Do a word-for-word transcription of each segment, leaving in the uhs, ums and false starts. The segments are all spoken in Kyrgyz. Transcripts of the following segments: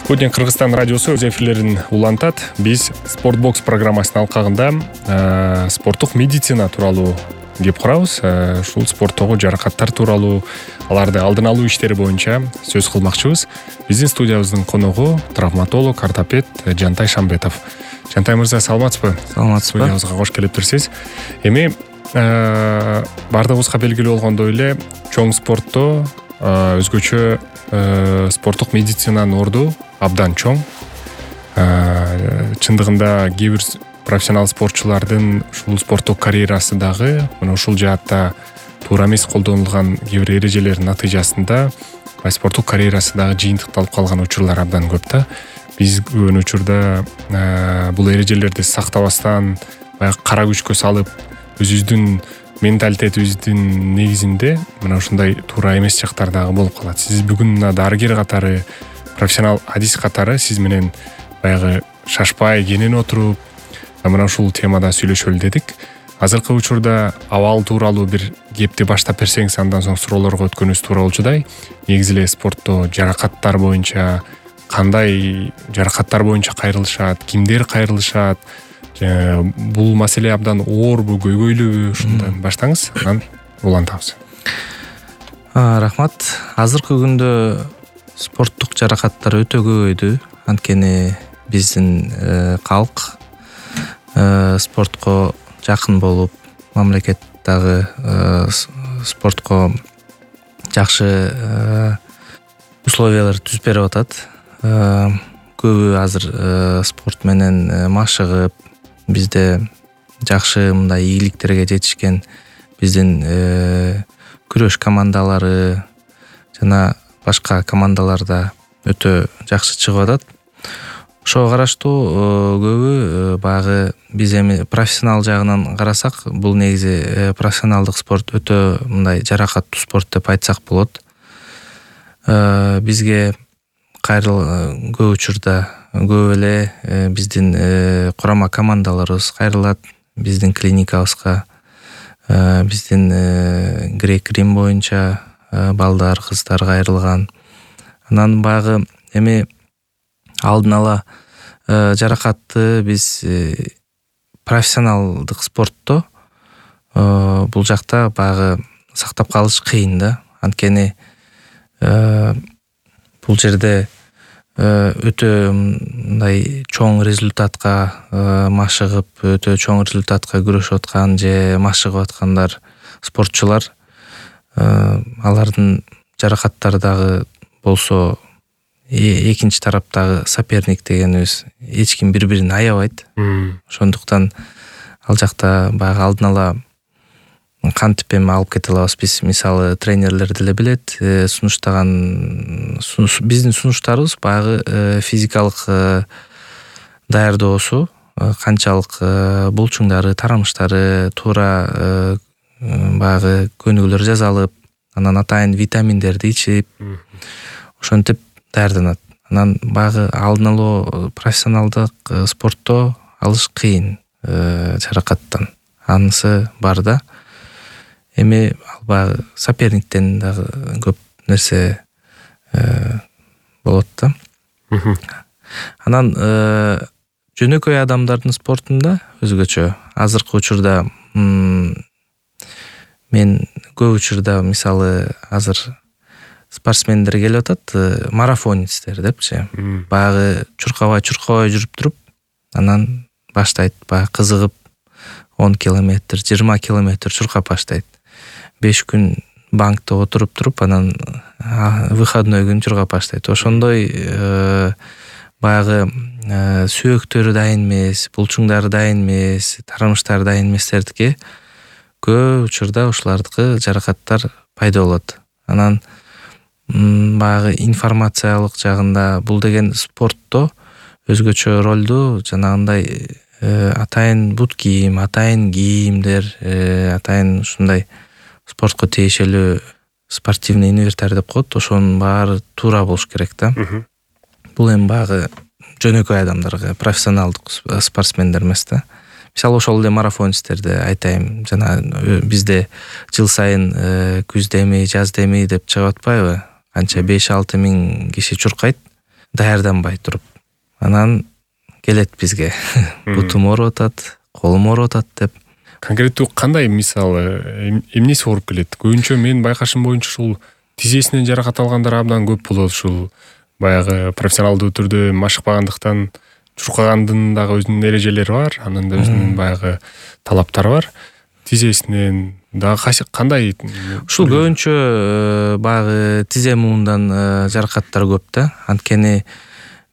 Спутник Кыргызстан радиосу өз эфирлерин улантат. Биз Спортбокс программасынын алкагында спорттук медицина тууралуу кеп курабыз. Ушул спорттогу жаракаттар тууралуу, аларды алдын алуу иштери боюнча сөз кылмакчыбыз. Биздин студиябыздын коногу травматолог, ортопед Жантай Шамбетов. Жантай мырза, саламатсызбы? Саламатсызбы. Студиябызга кош келиптирсиз. Эми бардыгыбызга белгилүү болгондой эле чоң спортто өзгөчө спорттук медицинанын орду абдан чоң. Чындыгында кээ бир профессионал спортчулардын ушул спорттук карьерасы дагы мына ушул жаатта туура эмес колдонулган кээ бир эрежелердин натыйжасында спорттук карьерасы дагы жыйынтыкталып калган учурлар абдан көп да. Биз көбүн учурда бул эрежелерди сактабастан баягы кара күчкө салып өзүбүздүн менталитетибиздин негизинде мына ушундай туура эмес жактар дагы болуп калат. Сиз бүгүн мына дарыгер катары, профессионал адис катары сиз менен баягы шашпай кенен отуруп мына ушул темада сүйлөшөлү дедик. Азыркы учурда абал тууралуу бир кепти баштап берсеңиз, андан соң суроолорго өткөнүбүз туура болчудай. Негизи эле спортто жаракаттар боюнча кандай жаракаттар боюнча кайрылышат, кимдер кайрылышат, бул маселе абдан оорбу, көйгөйлүүбү, ушундан баштаңыз, анан улантабыз. Рахмат. Азыркы күндө спорттук жаракаттар өтө көбөйдү. Анткени биздин калк спортко жакын болуп, мамлекет дагы спортко жакшы условиялар түзүп берип атат. Көбү азыр спорт менен машыгып, бизде жакшы мындай ийгиликтерге жетишкен биздин күрөш командалары жана башка командаларда өтө жакшы чыгып атат. Ошого караштуу көбү багы биз эми профессионал жагынан карасак, бул негизи профессионалдык спорт өтө мындай жаракаттуу спорт деп айтсак болот. Бизге кайрыл көп учурда көп эле биздин курама командаларыбыз кайрылат, биздин клиникабызга, биздин грек-рим боюнча балдар, кыздар кайрылган. Анан багы эми алдын ала жаракатты биз профессионалдык спортто бул жакта багы сактап калыш кыйын да. Анткени бул жерде өтө мындай чоң результатка машыгып, өтө чоң результатка күрөшүп аткан же машыгып аткандар спортчулар, алардын жаракаттары дагы болсо экинчи тараптагы соперник дегенибиз эч ким бири-бирин аябайт. Ошондуктан ал жакта баягы алдын ала кантип эми алып кете алабыз. Биз мисалы тренерлер деле билет, сунуштаган биздин сунуштарыбыз баягы физикалык даярдоосу канчалык булчуңдары, тарамыштары туура баягы көнүгүүлөр жазалып, анан атайын витаминдерди ичип, ошентип даярданат. Анан баягы алдын алуу профессионалдык спортто алыш кыйын жаракаттан. Анысы бар да. Эми баягы соперниктен дагы көп нерсе болот да. Анан жөнөкөй адамдардын спортунда өзгөчө азыркы учурда мен көп учурда мисалы азыр спортсмендер келип атат, марафонецтер депчи. Баягы чуркабай чуркабай жүрүп туруп, анан баштайт баягы кызыгып он километр, жыйырма километр чуркап баштайт. беш күн банкта отуруп туруп, анан выходной күн чуркап баштайт. Ошондой баягы сөөктөрү дайын эмес, булчуңдары дайын эмес, тарамыштары дайын эместердики көп учурда ушулардыкы жаракаттар пайда болот. Анан баягы информациялык жагында бул деген спортто өзгөчө ролду жанагындай атайын бут кийим, атайын кийимдер, атайын ушундай спортко тиешелүү спортивный инвентарь деп коет, ошонун баары туура болуш керек да. Бул эми баягы жөнөкөй адамдарга, профессионалдык спортсмендер эмес да. Мисалы ошол эле марафонецтерди айтайын, жана бизде жыл сайын күздө эми, жазда эми деп чыгып атпайбы? Канча беш алты миң киши чуркайт. даярданбай туруп анан келет бизге бутум ооруп атат, колум ооруп атат деп. Конкреттүү кандай мисалы эмнеси ооруп келет? Көбүнчө менин байкашым боюнча ушул тизесинен жаракат алгандар абдан көп болот. Ушул баягы профессионалдуу түрдө машыкпагандыктан чуркагандын дагы өзүнүн эрежелери бар, анын да өзүнүн баягы талаптары бар. Тизесинен дагы кандай? Ушул көбүнчө баягы тизе муундан жаракаттар көп да. Анткени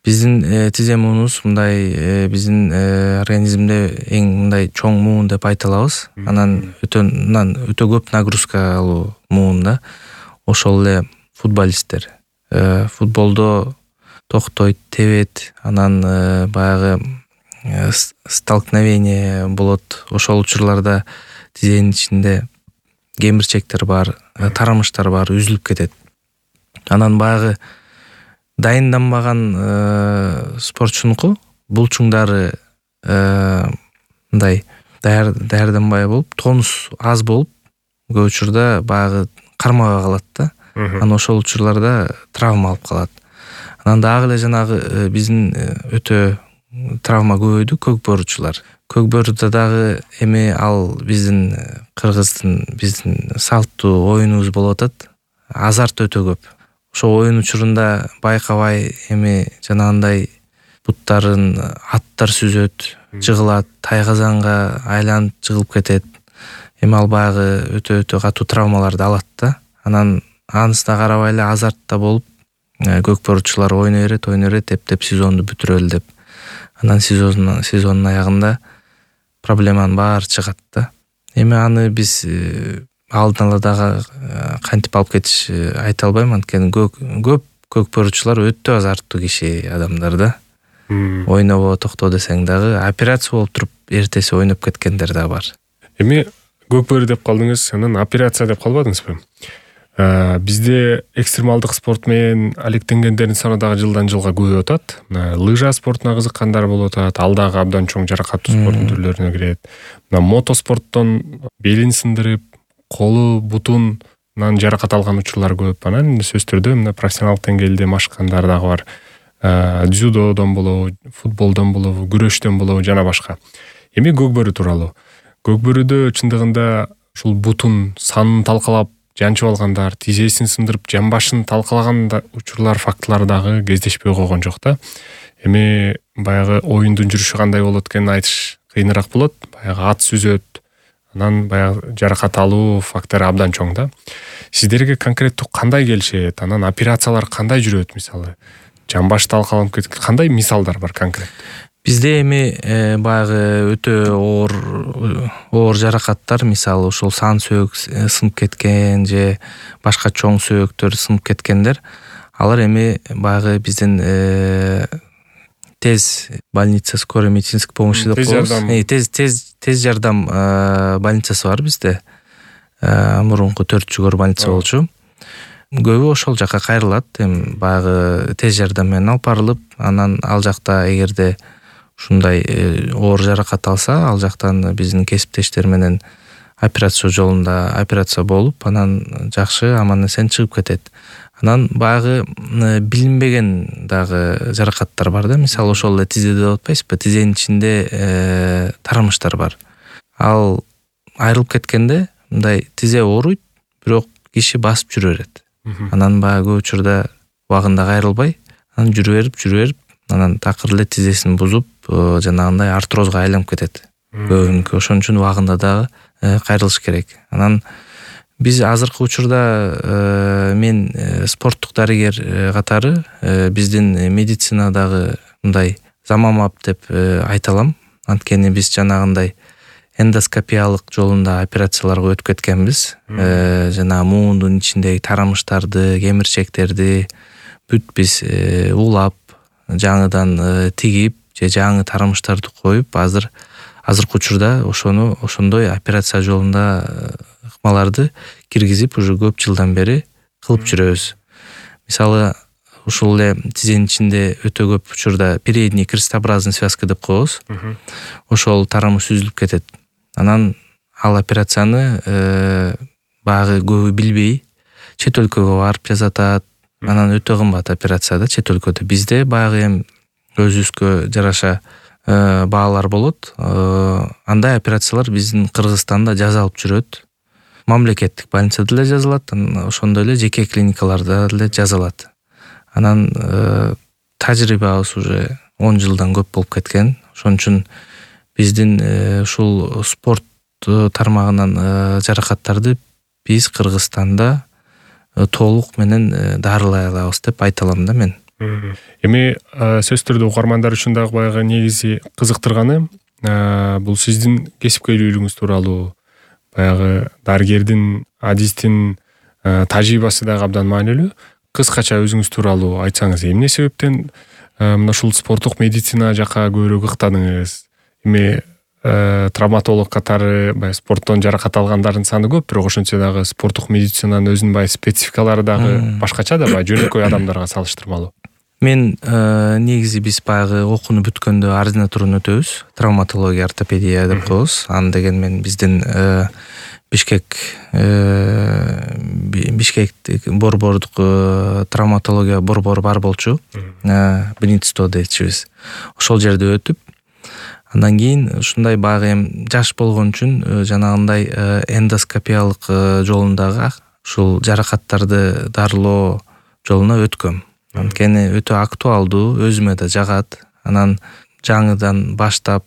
биздин тизе муунубуз мындай биздин организмде эң мындай чоң муун деп айта алабыз. Анан өтө мындан өтө көп нагрузка алуу муун да. Ошол эле футболисттер футболдо токтойт, тебет, анан баягы столкновение болот. Ошол учурларда тизенин ичинде кемирчектер бар, тарамыштар бар, үзүлүп кетет. Анан баягы дайынданбаган спортчунуку булчуңдары мындай даярданбай болуп, тонус аз болуп, көп учурда баягы кармабай калат да. Анан ошол учурларда травма алып калат. Анан дагы эле жанагы биздин өтө травма көбөйдү көкбөрүчүлөр. Көкбөрүдө дагы эми ал биздин кыргыздын биздин салттуу оюнубуз болуп атат. Азарт өтө көп. Ошол оюн учурунда байкабай эми жанагындай буттарын аттар сүзөт, жыгылат, тайгазанга айланып жыгылып кетет. Эми ал баягы өтө өтө катуу травмаларды алат да. Анан анысына карабай эле азартта болуп көкбөрүчүлөр ойной берет, ойной берет, эптеп сезонду бүтүрөлү деп. Анан сезондун сезондун аягында проблеманын баары чыгат да. Эми аны биз алдын ала дагы кантип алып кетиш айта албайм, анткени көп көкбөрүчүлөр өтө азарттуу киши адамдар да. Ойнобо токто десең дагы операция болуп туруп эртеси ойноп кеткендер да бар. Эми көкбөрү деп калдыңыз, анан операция деп калбадыңызбы? Бизде экстремалдык спорт менен алектенгендердин саны дагы жылдан жылга көбөйүп атат. Лыжа спортуна кызыккандар болуп атат. Ал дагы абдан чоң жаракаттуу спорттун түрлөрүнө кирет. Мына мотоспорттон белин сындырып, колу, бутунан жаракат алган учурлар көп. Анан сөзсүз түрдө мына профессионалдык деңгээлде машыккандар дагы бар. Дзюдодон болобу, футболдон болобу, күрөштөн болобу жана башка. Эми көкбөрү тууралуу. Көкбөрүдө чындыгында ушул бутун санын талкалап жанчып алгандар, тизесин сындырып, жамбашын талкалаган учурлар, фактылар дагы кездешпей койгон жок да. Эми баягы оюндун жүрүшү кандай болот экенин айтыш кыйыныраак болот. Баягы ат сүзөт, анан баягы жаракат алуу фактору абдан чоң да. Сиздерге конкреттүү кандай келишет? Анан операциялар кандай жүрөт мисалы? Жамбаш талкаланып кеткен кандай мисалдар бар конкрет? Бизде эми баягы өтө оор оор жаракаттар, мисалы ушул сан сөөк сынып кеткен же башка чоң сөөктөр сынып кеткендер, алар эми баягы биздин тез больница скорой медицинской помощи деп коебуз. Тез тез тез жардам больницасы бар бизде. Мурунку төрт жүгөр больница болчу. Көбү ошол жака кайрылат. Эми баягы тез жардам менен алып барылып, анан ал жакта эгерде ушундай оор жаракат алса, ал жактан биздин кесиптештер менен операция жолунда операция болуп, анан жакшы аман эсен чыгып кетет. Анан баягы билинбеген дагы жаракаттар бар да. Мисалы ошол эле тизеде деп атпайсызбы? Тизенин ичинде тарамыштар бар. Ал айрылып кеткенде мындай тизе ооруйт, бирок киши басып жүрө берет. Анан баягы көп учурда убагында кайрылбай, анан жүрө берип, жүрө берип, анан такыр эле тизесин бузуп, жанагындай артрозго айланып кетет. Көбүнкү ошон үчүн убагында дагы кайрылыш керек. Анан биз азыркы учурда мен спорттук дарыгер катары биздин медицинадагы мындай заманбап деп айта алам. Анткени биз жанагындай эндоскопиялык жолунда операцияларга өтүп кеткенбиз. Жана муундун ичиндеги тарамыштарды, кемирчектерди бүт биз улап, жаңыдан тигип же жаңы тарамыштарды коюп, азыр азыркы учурда ошону ошондой операция жолунда ыкмаларды киргизип уже көп жылдан бери кылып жүрөбүз. Мисалы ушул эле тизенин ичинде өтө көп учурда передний крестообразный связка деп коебуз. Ошол тарамыш үзүлүп кетет. Анан ал операцияны баягы көбү билбей чет өлкөгө барып жасатат, Анан өтө кымбат операция да чет өлкөдө. Бизде баягы эми өзүбүзгө жараша баалар болот. Андай операциялар биздин Кыргызстанда жазалып жүрөт. Мамлекеттик больницада эле жазылат, ошондой эле жеке клиникаларда эле жазылат. Анан тажрыйбабыз уже он жылдан көп болуп кеткен. Ошон үчүн биздин ушул спорт тармагынан жаракаттарды биз Кыргызстанда толук менен дарылай алабыз деп айта алам да мен. Эми сөзсүз түрдө угармандар үчүн дагы баягы негизи кызыктырганы бул сиздин кесипкөйлүгүңүз тууралуу, баягы дарыгердин, адистин тажрыйбасы дагы абдан маанилүү. Кыскача өзүңүз тууралуу айтсаңыз, эмне себептен мына ушул спорттук медицина жака көбүрөөк ыктадыңыз? Эми травматолог катары баягы спорттон жаракат алгандардын саны көп, бирок ошентсе дагы спорттук медицинанын өзүнүн баягы спецификалары дагы башкача да, баягы жөнөкөй адамдарга салыштырмалуу. Мен негизи биз баягы окууну бүткөндө ординатураны өтөбүз, травматология, ортопедия деп коебуз. Аны деген мен биздин Бишкек Бишкектик борбордук травматология борбору бар болчу. Бенитсто дейчүбүз. Ошол жерде өтүп, андан кийин ушундай баягы эми жаш болгон үчүн жанагындай эндоскопиялык жолундагы ушул жаракаттарды дарылоо жолуна өткөм. Анткени өтө актуалдуу, өзүмө да жагат. Анан жаңыдан баштап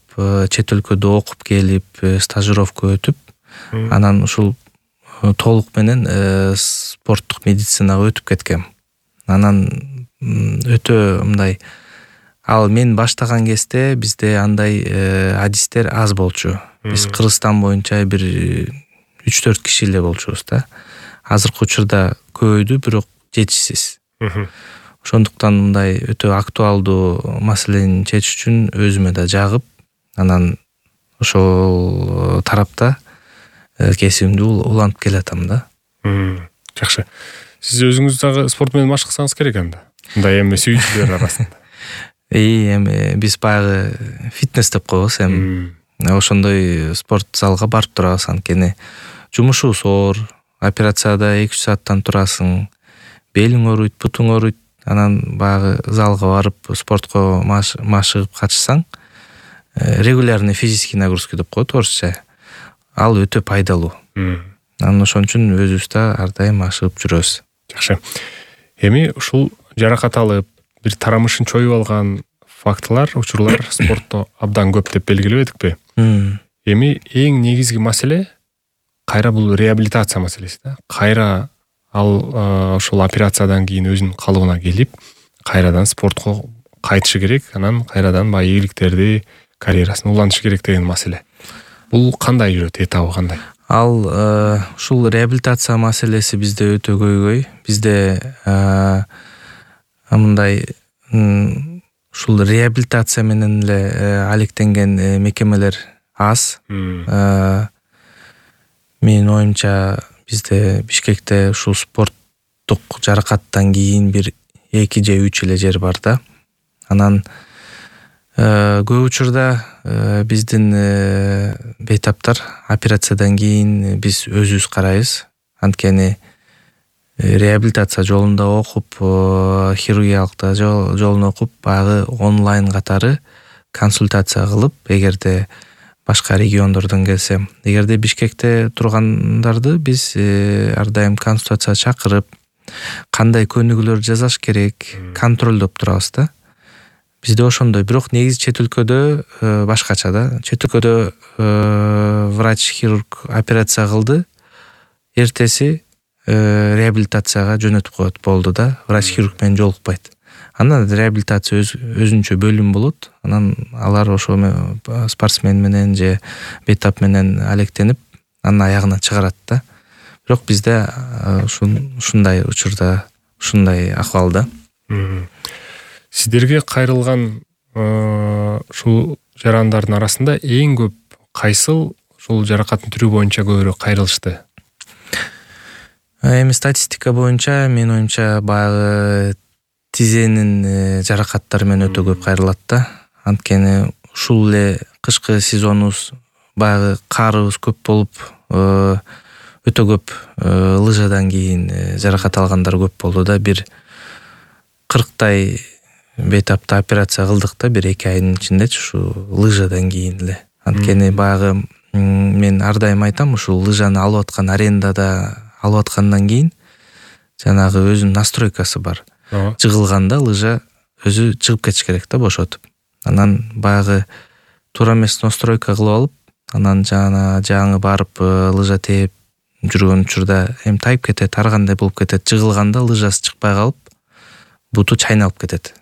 чет өлкөдө окуп келип, стажировка өтүп, анан ушул толук менен спорттук медицинага өтүп кеткем. Анан өтө мындай, ал мен баштаган кезде бизде андай адистер аз болчу. Биз Кыргызстан боюнча бир үч төрт киши эле болчубуз да. Азыркы учурда көбөйдү, бирок жетишсиз. Ошондуктан мындай өтө актуалдуу маселени чечиш үчүн өзүмө да жагып, анан ошол тарапта кесибимди улантып келатам да. Жакшы. Сиз өзүңүз дагы спорт менен машыксаңыз керек анда. Мындай эми сүйүүчүлөр арасында. И эми биз баягы фитнес деп коебуз эми. Ошондой спорт залга барып турабыз, анткени жумушубуз оор, операцияда эки үч сааттан турасың, белиң ооруйт, бутуң ооруйт. Анан баягы залга барып спортко машыгып катышсаң, регулярный физический нагрузки деп коет орусча. Ал өтө пайдалуу. Анан ошон үчүн өзүбүз да ар дайым машыгып жүрөбүз. Жакшы. Эми ушул жаракат алып, бир тарамышын чоюп алган фактылар, учурлар спортто абдан көп деп белгилебедикпи? Эми эң негизги маселе кайра бул реабилитация маселеси да. Кайра ал ошол операциядан кийин өзүнүн калыбына келип, кайрадан спортко кайтышы керек, анан кайрадан баягы ийгиликтерди, карьерасын улантышы керек деген маселе. Бул кандай жүрөт, этабы кандай? Ал ушул реабилитация маселеси бизде өтө көйгөй. Бизде мындай ушул реабилитация менен эле алектенген мекемелер аз. Менин оюмча бизде Бишкекте ушул спорттук жаракаттан кийин бир эки же үч эле жер бар да. Анан көп учурда биздин бейтаптар операциядан кийин биз өзүбүз карайбыз. Анткени реабилитация жолунда окуп, хирургиялыкта жолун окуп, баягы онлайн катары консультация кылып, эгерде башка региондордон келсе, эгерде Бишкекте тургандарды биз ар дайым консультация чакырып, кандай көнүгүүлөр жасаш керек, контролдоп турабыз да. Бизде ошондой, бирок негизи чет өлкөдө башкача да. Чет өлкөдө врач-хирург операция кылды, эртеси реабилитацияга жөнөтүп коет, болду да. Врач-хирург менен жолукпайт. Анан реабилитация өзүнчө бөлүм болот. Анан алар ошо спортсмен менен же бейтап менен алектенип, анын аягына чыгарат да. Бирок бизде ушундай учурда, ушундай акыбалда. Сиздерге кайрылган ушул жарандардын арасында эң көп кайсыл ушул жаракаттын түрү боюнча көбүрөөк кайрылышты? Эми статистика боюнча менин оюмча баягы тизенин жаракаттары менен өтө көп кайрылат да. Анткени ушул эле кышкы сезонубуз баягы карыбыз көп болуп, өтө көп лыжадан кийин жаракат алгандар көп болду да. Бир кырктай бейтаптуу операция кылдык да бир эки айдын ичиндечи ушу лыжадан кийин эле. Анткени баягы мен ар дайым айтам, ушул лыжаны алып аткан арендада алып аткандан кийин жанагы өзүнүн настройкасы бар. Жыгылганда лыжа өзү чыгып кетиш керек да бошотуп. Анан баягы туура эмес настройка кылып алып, анан жана жаңы барып лыжа тээп жүргөн учурда эми тайып кетет, ар кандай болуп кетет. Жыгылганда лыжасы чыкпай калып, буту чайналып кетет.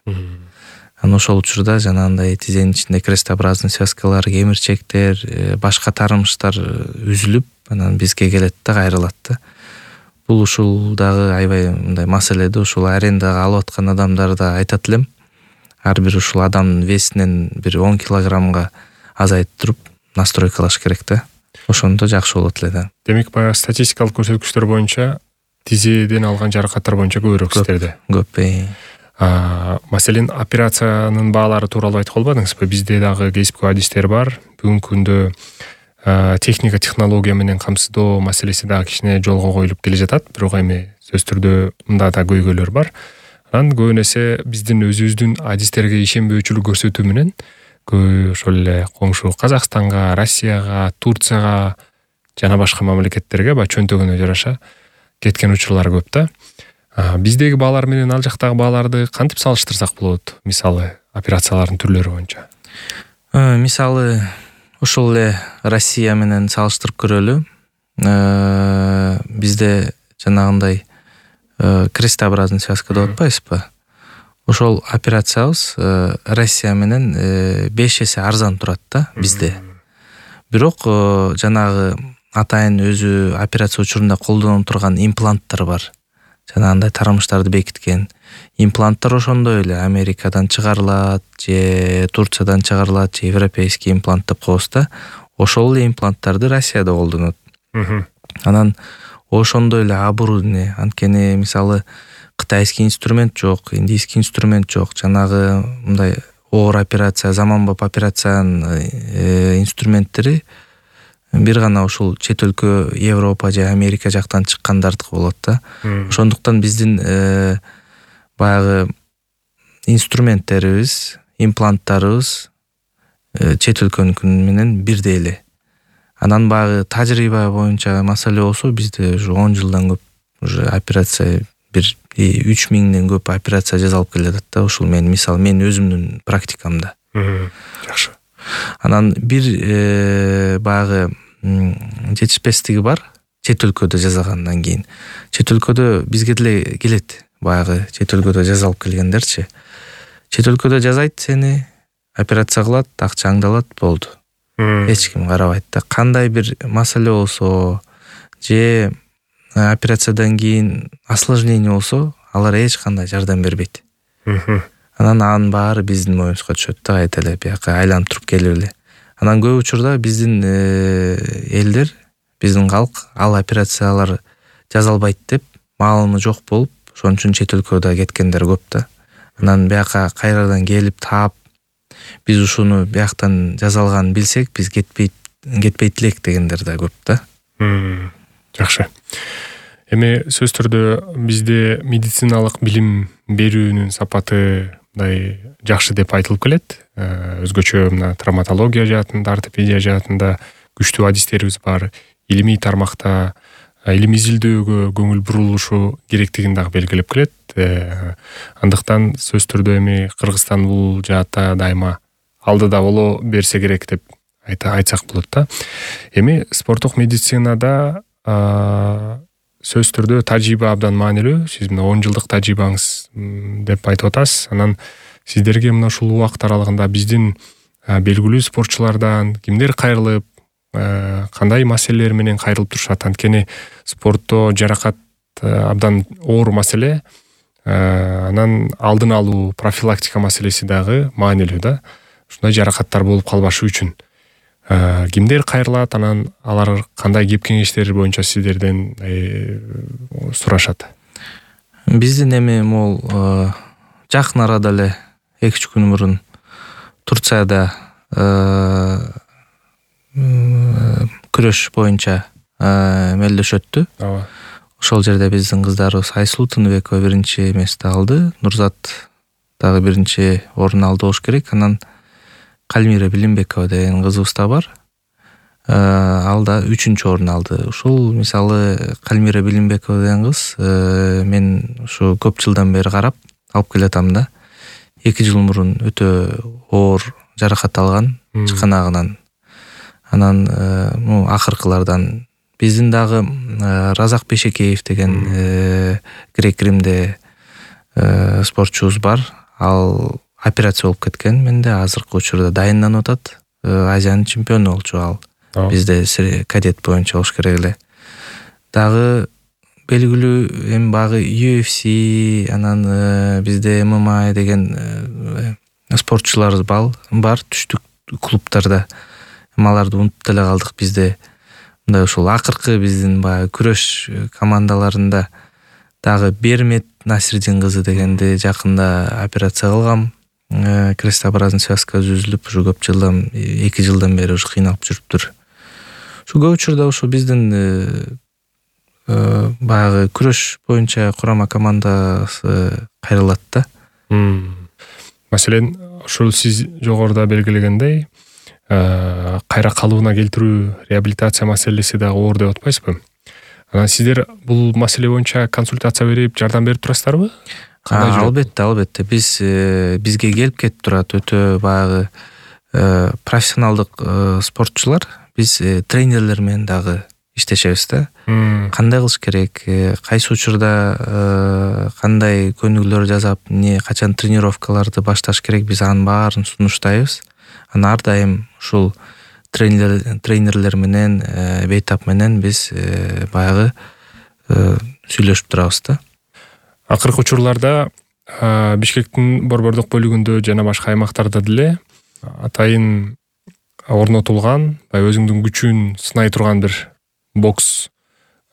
Анан ошол учурда жанагындай тизенин ичинде крестообразный связкалар, кемирчектер, башка тарымыштар үзүлүп, анан бизге келет да, кайрылат да. Бул ушул дагы аябай мындай маселе да. Ушул арендага алып аткан адамдарда айтат элем, ар бир ушул адамдын весинен бир он килограммга азайтып туруп настройкалаш керек да. Ошондо жакшы болот эле да. Демек, баягы статистикалык көрсөткүчтөр боюнча тизеден алган жаракаттар боюнча көбүрөөк сиздерде. Көп. Маселен, операциянын баалары тууралуу айтып калбадыңызбы? Бизде дагы кесипкөй адистер бар. Бүгүнкү күндө техника, технология менен камсыздоо маселеси дагы кичине жолго коюлуп келе жатат. Бирок эми сөзсүз түрдө мында да көйгөйлөр бар. Анан көбүн эсе биздин өзүбүздүн адистерге ишенбөөчүлүк көрсөтүү менен көбү ошол эле коңшу Казакстанга, Россияга, Турцияга жана башка мамлекеттерге баягы чөнтөгөнө жараша кеткен учурлар көп да. Биздеги баалар менен ал жактагы бааларды кантип салыштырсак болот? Мисалы, операциялардын түрлөрү боюнча. Мисалы, ошол эле Россия менен салыштырып көрөлү. Бизде жанагындай крестообразный связка деп атпайсызбы? Ошол операциябыз Россия менен беш эсе арзан турат да бизде. Бирок жанагы атайын өзү операция учурунда колдоно турган импланттар бар. Жанагындай тарымыштарды бекиткен импланттар ошондой эле Америкадан чыгарылат, же Турциядан чыгарылат, же европейский имплант деп коебуз да. Ошол эле импланттарды Россияда колдонот. Анан ошондой эле оборудование, анткени мисалы кытайский инструмент жок, индийский инструмент жок. Жанагы мындай оор операция, заманбап операциянын инструменттери бир гана ушул чет өлкө, Европа же Америка жактан чыккандардыкы болот да. Ошондуктан биздин баягы инструменттерибиз, импланттарыбыз чет өлкөнүкү менен бирдей эле. Анан баягы тажрыйба боюнча маселе болсо, бизде уже он жылдан көп уже операция, бир үч миңден көп операция жасалып келатат да. Ушул мен мисалы мен өзүмдүн практикамда. Жакшы. Анан бир баягы жетишпестиги бар чет өлкөдө жасагандан кийин. Чет өлкөдө бизге деле келет баягы чет өлкөдө жасалып келгендерчи. Чет өлкөдө жасайт сени, операция кылат, акчаңды алат, болду. Эч ким карабайт да. Кандай бир маселе болсо же операциядан кийин осложнение болсо, алар эч кандай жардам бербейт. Анан анын баары биздин моюнубузга түшөт да, кайта эле бияка айланып туруп келип эле. Анан көп учурда биздин элдер, биздин калк ал операциялар жасалбайт деп маалымы жок болуп, ошон үчүн чет өлкөдө кеткендер көп да. Анан бияка кайрадан келип таап, биз ушуну бияктан жасалганын билсек, биз кетпейт кетпейт элек дегендер да көп да. Жакшы. Эми сөзсүз түрдө бизде медициналык билим берүүнүн сапаты мындай жакшы деп айтылып келет. Өзгөчө мына травматология жаатында, ортопедия жаатында күчтүү адистерибиз бар. Илимий тармакта илим изилдөөгө көңүл бурулушу керектигин дагы белгилеп келет. Андыктан сөзсүз түрдө эми Кыргызстан бул жаатта дайыма алдыда боло берсе керек деп айтсак болот да. Эми спорттук медицинада сөзсүз түрдө тажрыйба абдан маанилүү. Сиз мына он жылдык тажрыйбаңыз деп айтып атасыз. Анан сиздерге мына ушул убакыт аралыгында биздин белгилүү спортчулардан кимдер кайрылып, кандай маселелер менен кайрылып турушат? Анткени спортто жаракат абдан оор маселе. Анан алдын алуу, профилактика маселеси дагы маанилүү да. Ушундай жаракаттар болуп калбашы үчүн кимдер кайрылат, анан алар кандай кеп кеңештер боюнча сиздерден сурашат? Биздин эми могул жакын арада эле эки үч күн мурун Турцияда күрөш боюнча мелдеш өттү. ошол жерде биздин кыздарыбыз Айсулуу Тыныбекова биринчи эмести алды, Нурзат дагы биринчи орун алды болуш керек. Анан Кальмира Билимбекова деген кызыбыз да бар. Ал да үчүнчү орун алды. Ушул мисалы Кальмира Билимбекова деген кыз мен ушу көп жылдан бери карап алып келатам да. эки жыл мурун өтө оор жаракат алган чыканагынан. Анан ну акыркылардан биздин дагы Разак Бешекеев деген грек Римде спортчубуз бар. Ал операция болуп кеткен. Менде азыркы учурда дайынданып атат. Азиянын чемпиону болчу ал. Бизде кадет боюнча болуш керек эле. Дагы белгилүү эми багы ю эф си, анан бизде эм эм а деген спортчуларыбыз бар түштүк клубтарда. Аларды унутуп деле калдык. Бизде мындай ушул акыркы биздин баягы күрөш командаларында дагы Бермет Насирдин кызы дегенди жакында операция кылгам. Крестообразный связка үзүлүп, ушу көп жылдан, эки жылдан бери ушу кыйналып жүрүптүр. Ушу көп учурда ушу биздин баягы күрөш боюнча курама командасы кайрылат да. Маселен, ушул сиз жогоруда белгилегендей, кайра калыбына келтирүү, реабилитация маселеси дагы оор деп атпайсызбы? Анан сиздер бул маселе боюнча консультация берип, жардам берип турасыздарбы? Албетте, албетте. Биз бизге келип кетип турат өтө баягы профессионалдык спортчулар. Биз тренерлер менен дагы иштешебиз да. Кандай кылыш керек, кайсы учурда кандай көнүгүүлөр жасап, эмне качан тренировкаларды башташ керек, биз анын баарын сунуштайбыз. Анан ар дайым ушул тренерлер тренерлер менен, бейтап менен биз баягы сүйлөшүп турабыз да. Акыркы учурларда Бишкектин борбордук бөлүгүндө жана башка аймактарда деле атайын орнотулган, баягы өзүңдүн күчүн сынай турган бир бокс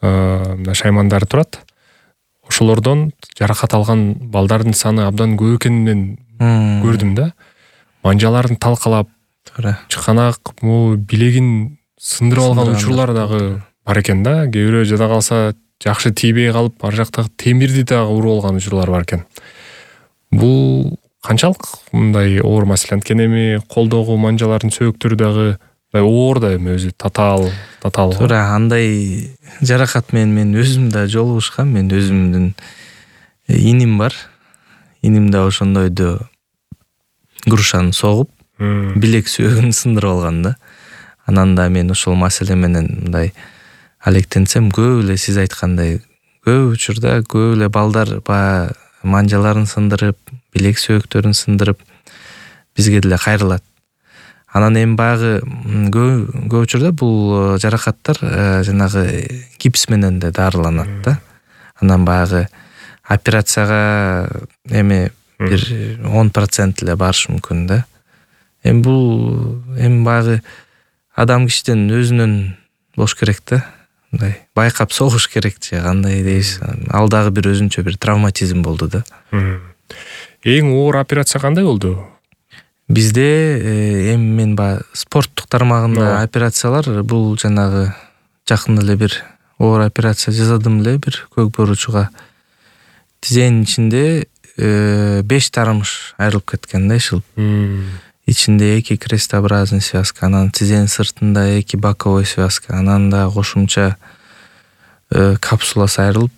шаймандары турат. Ошолордон жаракат алган балдардын саны абдан көп экенин көрдүм да. Манжаларын талкалап, чыканак, билегин сындырып алган учурлар дагы бар экен да. Кээ бирөө жада калса жакшы тийбей калып, ар жактагы темирди дагы уруп алган учурлар бар экен. Бул канчалык мындай оор маселе? Анткени эми колдогу манжалардын сөйөктөрү дагы оор да эми өзү татаал, татаал. Туура, андай жаракат менен мен өзүм да жолугушкам. Мен өзүмдүн иним бар. Иним да ошондойду грушаны согуп, билек сүйөгүн сындырып алган да. Анан да мен ошол маселе менен мындай алектенсем, көп эле сиз айткандай, көп учурда көп эле балдар баягы манжаларын сындырып, билек сүйөктөрүн сындырып бизге деле кайрылат. Анан эми баягы көп учурда бул жаракаттар жанагы гипс менен да дарыланат да. Анан баягы операцияга эми бир он процент эле барыш мүмкүн да. Эми бул эми баягы адам кишиден өзүнөн болуш керек да. Мындай байкап согуш керек же кандай дейсиз. Ал дагы бир өзүнчө бир травматизм болду да. Эң оор операция кандай болду? Бизде эми мен баягы спорттук тармагында операциялар бул жанагы жакын эле бир оор операция жасадым эле бир көк боручуга. Тизенин ичинде беш тармыш айрылып кеткен да, ишилип. Ичинде эки крестообразный связка, анан тизенин сыртында эки боковой связка, анан да кошумча капсуласы айрылып,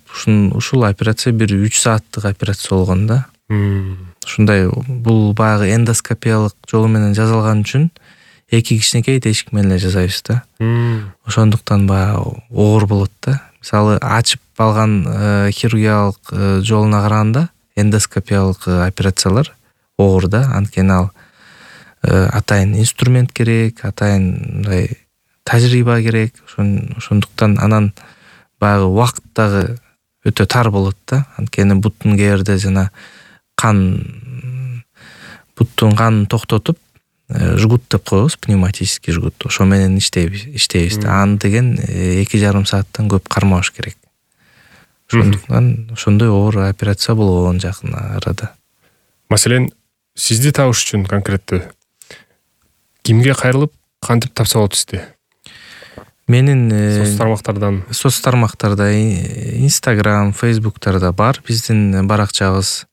ушул операция бир үч сааттык операция болгон да. Ушундай бул баягы эндоскопиялык жолу менен жасалган үчүн эки кичинекей тешик менен эле жасайбыз да. Ошондуктан баягы оор болот да. Мисалы ачып алган хирургиялык жолуна караганда эндоскопиялык операциялар оор да. Анткени ал атайын инструмент керек, атайын мындай тажрыйба керек. Ошондуктан анан баягы убакыт дагы өтө тар болот да. Анткени буттун кээ бирде жана кан буттун канын токтотуп жгут деп коебуз, пневматический жгут. Ошо менен иштейбиз, иштейбиз да. Аны деген эки жарым сааттан көп кармабаш керек. Ошондуктан ошондой оор операция болгон жакын арада. Маселен, сизди табыш үчүн конкреттүү кимге кайрылып, кантип тапса болот сизди? Менин соц тармактардан соц тармактарда Instagram, Facebooktарда бар биздин баракчабыз.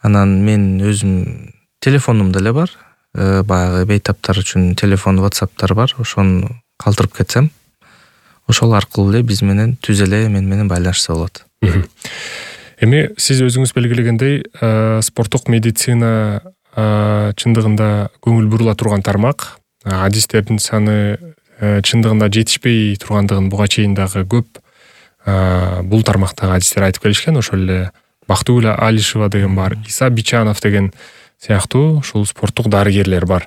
Анан мен өзүм телефонум деле бар. Баягы бейтаптар үчүн телефон, WhatsApp'тар бар. Ошону калтырып кетсем, ошол аркылуу эле биз менен түз эле мен менен байланышса болот. Эми сиз өзүңүз белгилегендей, спорттук медицина чындыгында көңүл бурула турган тармак. Адистердин саны чындыгында жетишпей тургандыгын буга чейин дагы көп бул тармактагы адистер айтып келишкен. Ошол эле Бактыгүл Алишева деген бар, Иса Бичанов деген сыяктуу ушул спорттук дарыгерлер бар.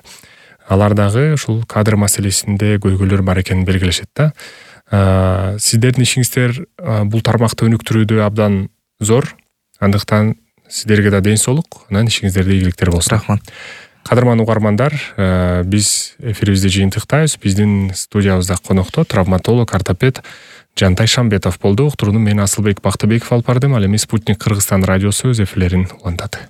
Алар дагы ушул кадр маселесинде көйгөйлөр бар экенин белгилешет да. Сиздердин ишиңиздер бул тармакты өнүктүрүүдө абдан зор. Андыктан сиздерге да ден соолук, анан ишиңиздерде ийгиликтер болсун. Рахмат. Кадырман угармандар, биз эфирибизди жыйынтыктайбыз. Биздин студиябызда конокто травматолог, ортопед Жантай Шамбетов болду. Уктурууну мен Асылбек Бактыбеков алып бардым. Ал эми Спутник Кыргызстан радиосу өз эфирлерин улантат.